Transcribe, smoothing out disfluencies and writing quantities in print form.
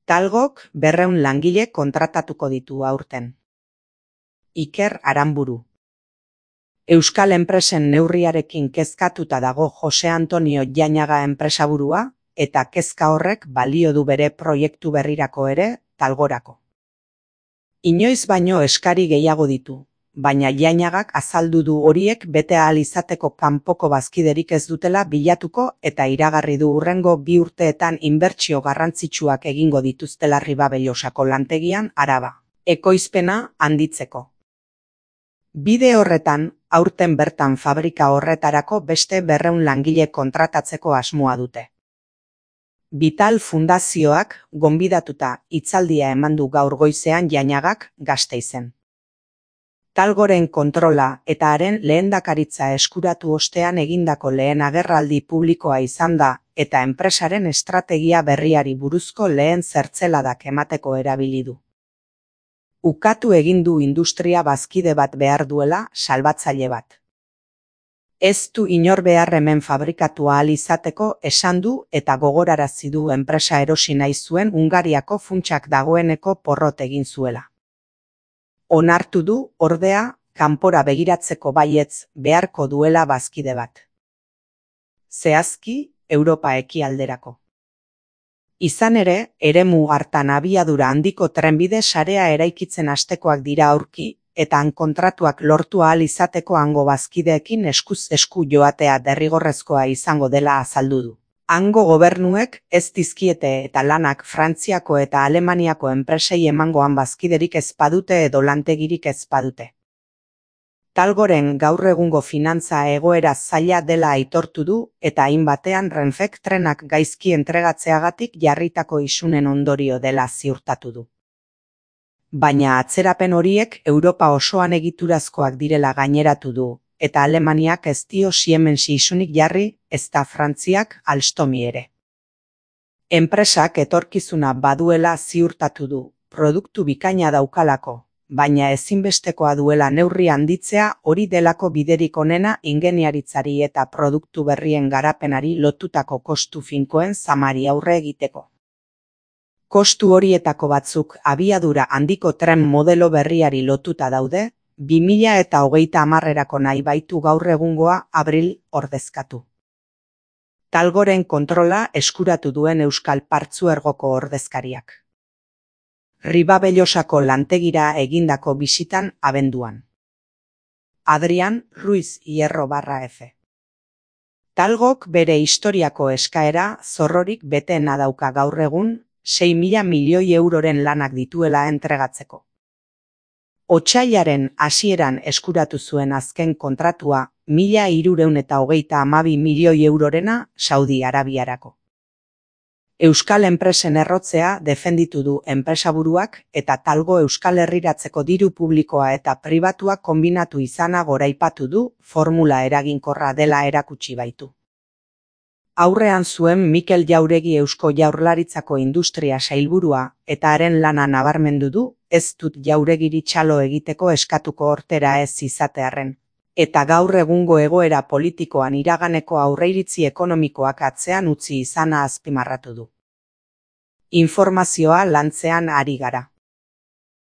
Talgok 200 langile kontratatuko ditu aurten. Iker Aranburu. Euskal enpresen neurriarekin kezkatuta dago Jose Antonio Jainaga enpresaburua, eta kezka horrek balio du bere proiektu berrirako ere, Talgorako. Inoiz baino eskari gehiago ditu, baina Jainagak azaldu du horiek bete ahal izateko kanpoko bazkiderik ez dutela bilatuko eta iragarri du hurrengo 2 urteetan inbertsio garrantzitsuak egingo dituztela Ribabellosako lantegian Araba ekoizpena handitzeko. Bide horretan, aurten bertan fabrika horretarako beste 200 langile kontratatzeko asmoa dute. Vital Fundazioak gonbidatuta hitzaldia eman du gaur goizean Jainagak Gasteizen. Talgoren kontrola eta haren lehendakaritza eskuratu ostean egindako lehen agerraldi publikoa izan da eta enpresaren estrategia berriari buruzko lehen zertzeladak emateko erabili du. Ukatu egin du industria bazkide bat behar duela salbatzaile bat. Ez du inor behar hemen fabrikatu ahal izateko esan du eta gogorarazi du enpresa erosi nahi zuen Hungariako funtsak dagoeneko porrot egin zuela. Onartu du, ordea, kanpora begiratzeko baietz beharko duela bazkide bat. Zehazki, Europa ekialderako. Izan ere, eremu hartan abiadura handiko trenbide sarea eraikitzen hastekoak dira aurki, eta kontratuak lortu ahal izateko hango bazkideekin eskuz esku joatea derrigorrezkoa izango dela azaldu du. Hango gobernuek ez dizkiete eta lanak Frantziako eta Alemaniako enpresei emangoan bazkiderik ez badute edo lantegirik ez badute. Talgoren gaur egungo finantza egoera zaila dela aitortu du eta hainbatean Renfek trenak gaizki entregatzeagatik jarritako isunen ondorio dela ziurtatu du. Baina atzerapen horiek Europa osoan egiturazkoak direla gaineratu du, eta Alemaniak ez dio Siemens isunik jarri, ezta Frantziak Alstomi ere. Enpresak etorkizuna baduela ziurtatu du, produktu bikaina daukalako, baina ezinbestekoa duela neurri handitzea hori delako biderik onena ingeniaritzari eta produktu berrien garapenari lotutako kostu finkoen zamari aurre egiteko. Kostu horietako batzuk abiadura handiko tren modelo berriari lotuta daude, 2030erako nahi baitu gaur egungoa Abril ordezkatu. Talgoren kontrola eskuratu duen Euskal Partzuergoko ordezkariak. Ribabellosako lantegira egindako bisitan abenduan. Adrian Ruiz Hierro_F. Talgok bere historiako eskaera zorrorik beteena dauka gaur egun, 6.000 milioi euroren lanak dituela entregatzeko. Otsailaren hasieran eskuratu zuen azken kontratua 1.332 milioi eurorena Saudi Arabiarako. Euskal enpresen errotzea defenditu du enpresaburuak eta Talgo Euskal Herriratzeko diru publikoa eta pribatua konbinatu izana goraipatu du, formula eraginkorra dela erakutsi baitu. Aurrean zuen Mikel Jauregi Eusko Jaurlaritzako industria sailburua eta haren lana nabarmendu du, ez dut Jauregiri txalo egiteko eskatuko hortera ez izatearren, eta gaur egungo egoera politikoan iraganeko aurreiritzi ekonomikoak atzean utzi izana azpimarratu du. Informazioa lantzean ari gara.